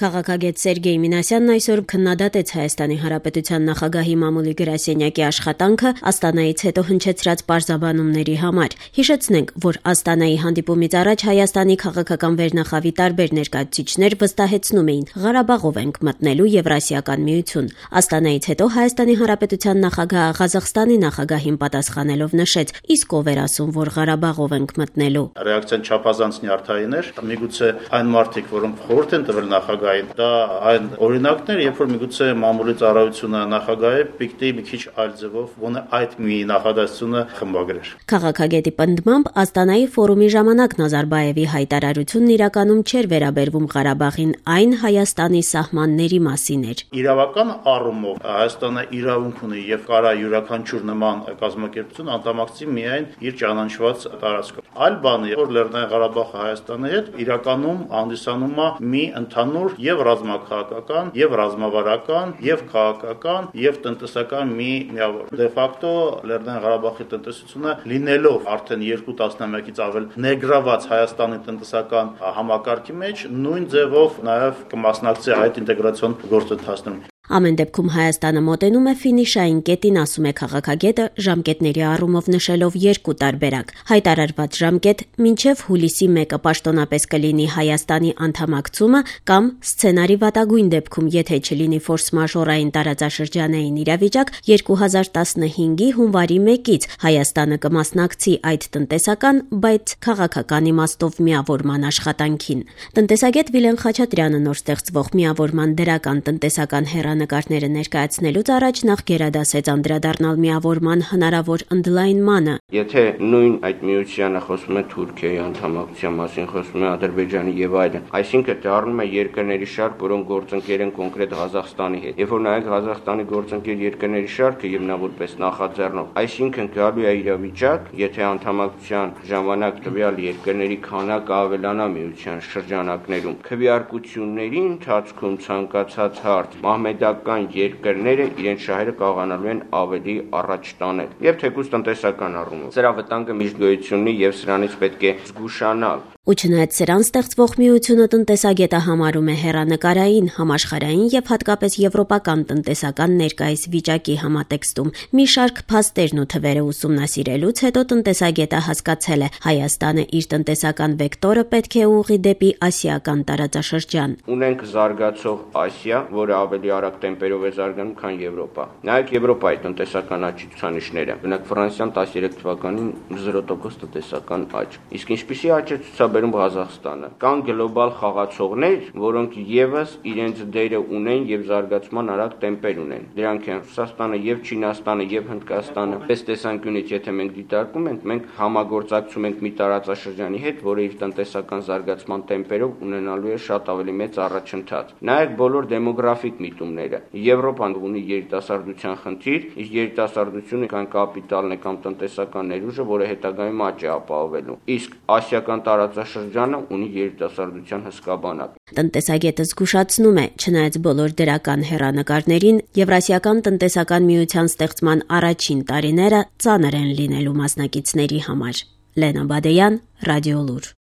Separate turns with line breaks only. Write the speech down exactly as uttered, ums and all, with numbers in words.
Քաղաքագետ Սերգեյ Մինասյանն այսօր քննադատեց Հայաստանի Հանրապետության նախագահի մամուլի գրասենյակի աշխատանքը Աստանայից հետո հնչեցրած պարզաբանումների համար։ Հիշեցնենք, որ Աստանայի հանդիպումից առաջ Հայաստանի քաղաքական վերնախավի տարբեր ներկայացուցիչներ վստահեցնում էին՝ Ղարաբաղով ենք մտնելու Եվրասիական միություն։ Աստանայից հետո Հայաստանի Հանրապետության նախագահը Ղազախստանի նախագահին պատասխանելով նշեց՝ իսկ ով էր ասում, որ Ղարաբաղով ենք մտնելու։
Ռեակցիան չափազանց նյարդային էր, միգուցե այն մարդիկ, որոնք խորհուրդ են տվել նախագահ դա այն օրինակներ, երբ որ միգուցե մամուլի ծառայությունը նախագահի պիտի մի քիչ այլ ձևով գոնե այդ մի նախադասությունը խմբագրեր։
Քաղաքագետի պնդմամբ Աստանայի ֆորումի ժամանակ Նազարբաևի հայտարարությունն իրականում չէր վերաբերվում Ղարաբաղին, այն Հայաստանի սահմանների մասին էր։
Իրավական առումով Հայաստանը իրավունք ունի եւ կարա յուրաքանչյուր նման կազմակերպություն անդամակցի միայն իր ճանաչված տարածքով։ Այլ բան է, որ Լեռնային Ղարաբաղը Հայաստանի հետ իրականում հանդիսանում է մի ընդհանուր եւ ռազմաքաղաքական, եւ ռազմավարական, եւ քաղաքական, եւ տնտեսական մի միավոր։ Դե ֆակտո Լեռնային Ղարաբաղի տնտեսությունը լինելով արդեն երկու տասնամյակից ավել ներգրաված Հայաստանի տնտեսական համակարգի մեջ, նույն ձևով նաեւ կմասնակցի այդ ինտեգրացիոն գործընթացներում։
Ամեն դեպքում Հայաստանը մոտենում է ֆինիշային կետին, ասում է քաղաքագետը, ժամկետների առումով նշելով երկու տարբերակ։ Հայտարարված ժամկետ մինչև հուլիսի մեկը պաշտոնապես կլինի Հայաստանի անդամակցումը կամ սցենարի վատագույն դեպքում, եթե չլինի ֆորս-մաժորային տարածաշրջանային իրավիճակ, երկու հազար տասնհինգի հունվարի մեկից Հայաստանը կմասնակցի այդ տնտեսական, բայց քաղաքական իմաստով միավորման աշխատանքին։ Տնտեսագետ Վիլեն Խաչատրյանը նոր ստեղծվող միավորման դրական տնտեսական հեռանկարները ներկայացնելուց առաջ նախ գերադասեց անդրադառնալ միավորման հնարավոր ընդլայնմանը։
Եթե նույն այդ միությանը խոսում է Թուրքիայի անդամակցության մասին, խոսում է Ադրբեջանի եւ այլն, այսինքն դառնում է երկրների շարք, որոնք գործընկեր են կոնկրետ Ղազախստանի հետ։ Երբ որ նայեք Ղազախստանի գործընկեր երկրների շարքը եւ նա որպես նախաձեռնող, այսինքն գալու է իրավիճակ, եթե անդամակցության ժամանակ տվյալ երկրների քանակը ավելանա միության շրջանակներում, քվեարկությունների ընթացքում ցանկացած հարց մահմեդական երկրները իրենց շահերը կարողանալու են ավելի առաջ տանել եւ թեկուզ տնտեսական առումով։ Սրա վտանգը միշտ գոյություն ունի եւ սրանից պետք է զգուշանալ։
Ու չնայած սրան ստեղծվող միությունը տնտեսագետը համարում է հեռանկարային, համաշխարհային եւ հատկապես եվրոպական տնտեսական ներկայիս վիճակի համատեքստում մի շարք փաստերն ու թվերը ուսումնասիրելուց հետո տնտեսագետը հասկացել է Հայաստանը իր տնտեսական վեկտորը պետք է ուղղի դեպի ասիական տարածաշրջան։
Ունենք զարգացող Ասիա, որը ավելի արագ տեմպերով է զարգանում, քան Եվրոպա։ Նայեք Եվրոպայի տնտեսական աճի ցուցանիշները։ Օրինակ Ֆրանսիան տասներեք թվականին զիրո տոկոս տնտեսական աճ։ Իսկ ինչպիսի աճ է ցուցաբերում Ղազախստանը։ Կան գլոբալ խաղացողներ, որոնք եւս իրենց դերը ունեն եւ զարգացման արագ տեմպեր ունեն։ Դրանք են Ռուսաստանը եւ Չինաստանը եւ Հնդկաստանը։ Պես տեսանկյունից, եթե մենք դիտարկում ենք, մենք համագործակցում ենք մի տարածաշրջանի հետ, որը իր տնտեսական զարգացման տեմպերով ունենալու է շատ ավելի մեծ առաջընթաց։ Նայեք բոլոր դեմոգրաֆիկ միտումները։ Եվրոպան ունի երիտասարդության խնդիր, իսկ երիտասարդությունը կան կապիտալն է կամ տնտեսական ներուժը, որը հետագայում աճ է ապահովելու։ Իսկ ասիական տարածաշրջանը ունի երիտասարդության հսկա բանակ։
Տնտեսագետը զգուշացնում է, չնայած բոլոր դրական հեռանկարներին, Եվրասիական տնտեսական միության ստեղծման առաջին տարիները ծանր են լինելու մասնակիցների համար։ Լենա Բադեյան, Ռադիոլուր։